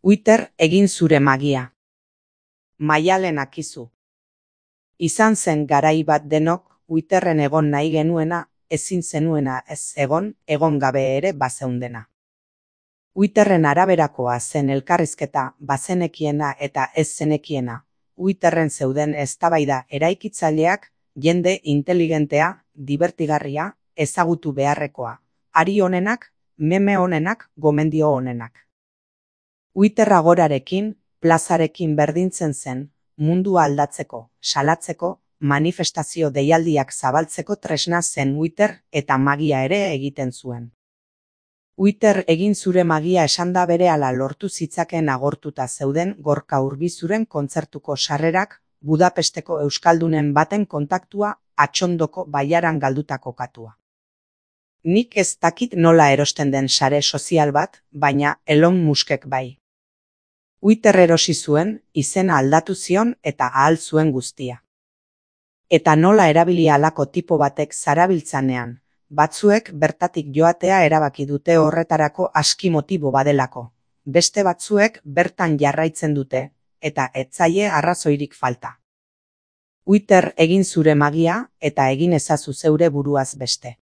Twitter egin zure magia. Maialen Akizu. Izan zen garai bat denok Twitterren egon nahi genuena, ezin zenuena ez egon gabe ere bazeundena. Twitterren araberakoa zen elkarrizketa, bazenekiena eta ez zenekiena. Twitterren zeuden eztabaida eraikitzaileak, jende inteligentea, dibertigarria, ezagutu beharrekoa. Ari onenak, meme onenak, gomendio onenak. Twitter agorarekin, plazarekin berdintzen zen, mundua aldatzeko, salatzeko, manifestazio deialdiak zabaltzeko tresna zen Twitter eta magia ere egiten zuen. Twitter egin zure magia esanda berehala lortu zitzaken agortuta zeuden Gorka Urbizuren kontzertuko sarrerak, Budapesteko euskaldunen baten kontaktua, Atxondoko bailaran galdutako katua. Nik ez dakit nola erosten den sare sozial bat, baina Elon Muskek bai. Twitter erosi zuen, izena aldatu zion eta ahal zuen guztia. Eta nola erabili halako tipo batek zarabiltzanean, batzuek bertatik joatea erabaki dute horretarako aski motibo badelako. Beste batzuek bertan jarraitzen dute, eta ez zaie arrazoirik falta. Twitter egin zure magia eta egin ezazu zeure buruaz beste.